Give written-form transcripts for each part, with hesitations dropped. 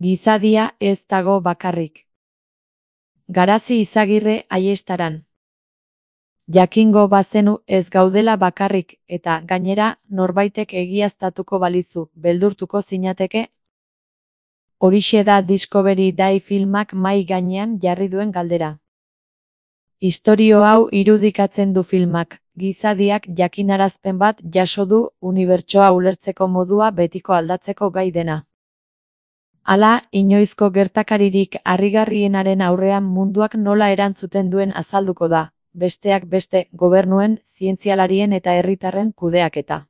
Gizadia ez dago bakarrik. Garazi Izagirre Aiestaran. Jakingo bazenu ez gaudela bakarrik, eta, gainera, norbaitek egiaztatuko balizu, beldurtuko zinateke? Horixe da Discovery Day filmak mahai gainean jarri duen galdera. Istorio hau irudikatzen du filmak, gizadiak jakinarazpen bat jaso du unibertsoa ulertzeko modua betiko aldatzeko gai dena. Hala, inoizko gertakaririk harrigarrienaren aurrean munduak nola erantzuten duen azalduko da, besteak beste, gobernuen, zientzialarien eta herritarren kudeaketa.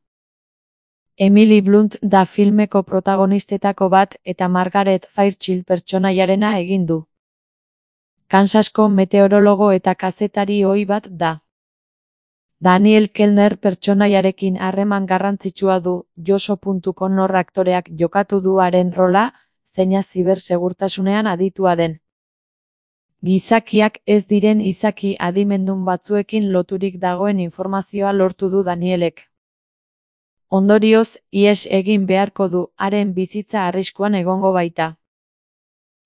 Emily Blunt da filmeko protagonistetako bat eta Margaret Fairchild pertsonaiarena egin du. Kansasko meteorologo eta kazetari ohi bat da. Daniel Kellner pertsonaiarekin harreman garrantzitsua du, Joso.Connor aktoreak jokatu du haren rola, zeina zibersegurtasunean aditua den. Gizakiak ez diren izaki adimendun batzuekin loturik dagoen informazioa lortu du Danielek. Ondorioz, ihes egin beharko du, haren bizitza arriskuan egongo baita.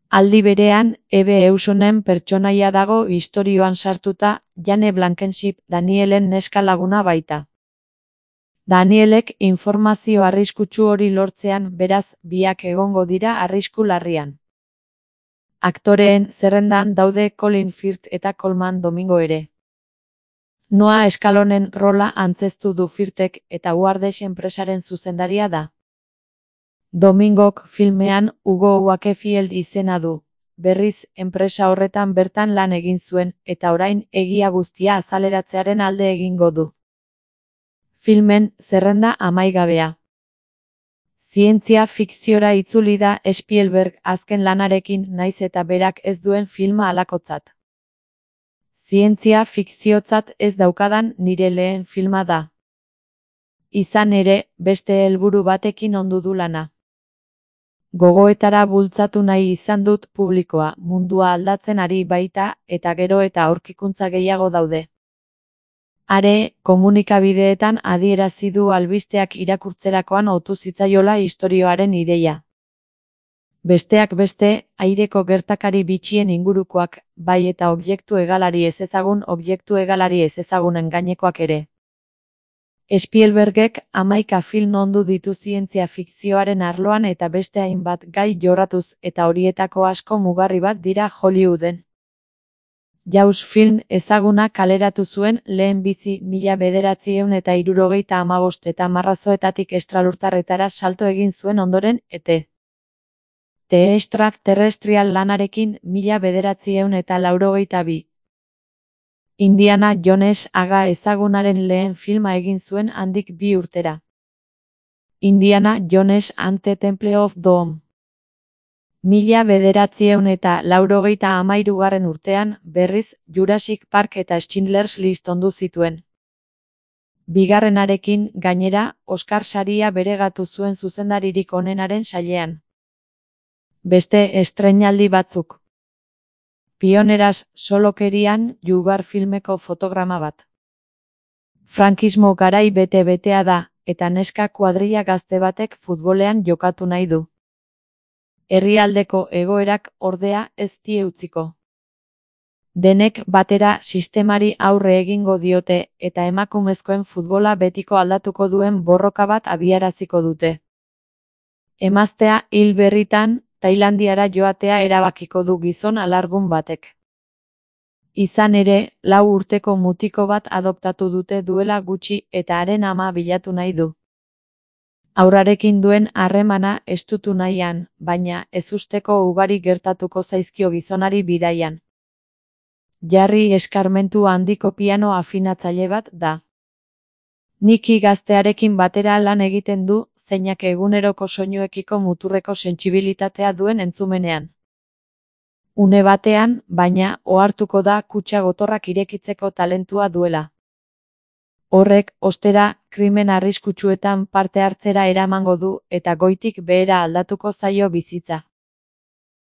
Aldi berean, Ebe Eusonen pertsonaia dago istorioan sartuta, Jane Blankenship Danielen neska laguna baita. Danielek informazio arriskutsu hori lortzean, beraz, biak egongo dira arrisku larrian. Aktoreen zerrendan daude Colin Firth eta Colman Domingo ere. Noah Scalonen rola antzeztu du Firthek eta Wardesh enpresaren zuzendaria da. Domingok filmean Hugo Wakefield izena du. Berriz, enpresa horretan bertan lan egin zuen, eta orain egia guztia azaleratzearen alde egingo du. Filmen zerrenda amaigabea. Zientzia fikziora itzuli da Spielberg azken lanarekin naiz eta berak ez duen filma halakotzat. Zientzia fikziotzat ez daukadan nire lehen filma da. Izan ere, beste helburu batekin ondu du lana. Gogoetara bultzatu nahi izan dut publikoa, mundua aldatzen ari baita, eta gero eta aurkikuntza gehiago daude. Are, komunikabideetan adierazi du albisteak irakurtzerakoan otu zitzaiola istorioaren ideia. Besteak beste, aireko gertakari bitxien ingurukoak, bai eta objektu egalari ez ezagunen gainekoak ere. Spielbergek 11 film ondu ditu zientzia fikzioaren arloan eta beste hainbat gai jorratuz eta horietako asko mugarri bat dira Hollywooden. Jaws film ezaguna kaleratu zuen lehenbizi 1975 eta marrazoetatik estralurtarretara salto egin zuen ondoren The Extraterrestrial lanarekin 1982. Indiana Jones aga ezagunaren lehen filma egin zuen handik 2 urtera. Indiana Jones and the Temple of Doom. 1993 urtean, berriz, Jurassic Park eta Schindler's List ondu zituen. Bigarrenarekin, gainera, Oscar saria beregatu zuen zuzendaririk onenaren sailean. Beste estreinaldi batzuk. Pioneras solokerian Jugar filmeko fotograma bat. Frankismo garai bete-betea da, eta neska kuadrilla gazte batek futbolean jokatu nahi du. Herrialdeko egoerak ordea ez die utziko. Denek batera sistemari aurre egingo diote eta emakumezkoen futbola betiko aldatuko duen borroka bat abiaraziko dute. Emaztea hil berritan, Tailandiara joatea erabakiko du gizon alargun batek. Izan ere, 4 urteko mutiko bat adoptatu dute duela gutxi eta haren ama bilatu nahi du. Haurrarekin duen harremana estutu nahian, baina ezusteko ugari gertatuko zaizkio gizonari bidaian. Jarri eskarmentu handiko piano afinatzaile bat da. Niki gaztearekin batera lan egiten du, zeinak eguneroko soinuekiko muturreko sentsibilitatea duen entzumenean. Une batean, baina, ohartuko da kutxa gotorrak irekitzeko talentua duela. Horrek, ostera, krimen arriskutsuetan parte hartzera eramango du eta goitik behera aldatuko zaio bizitza.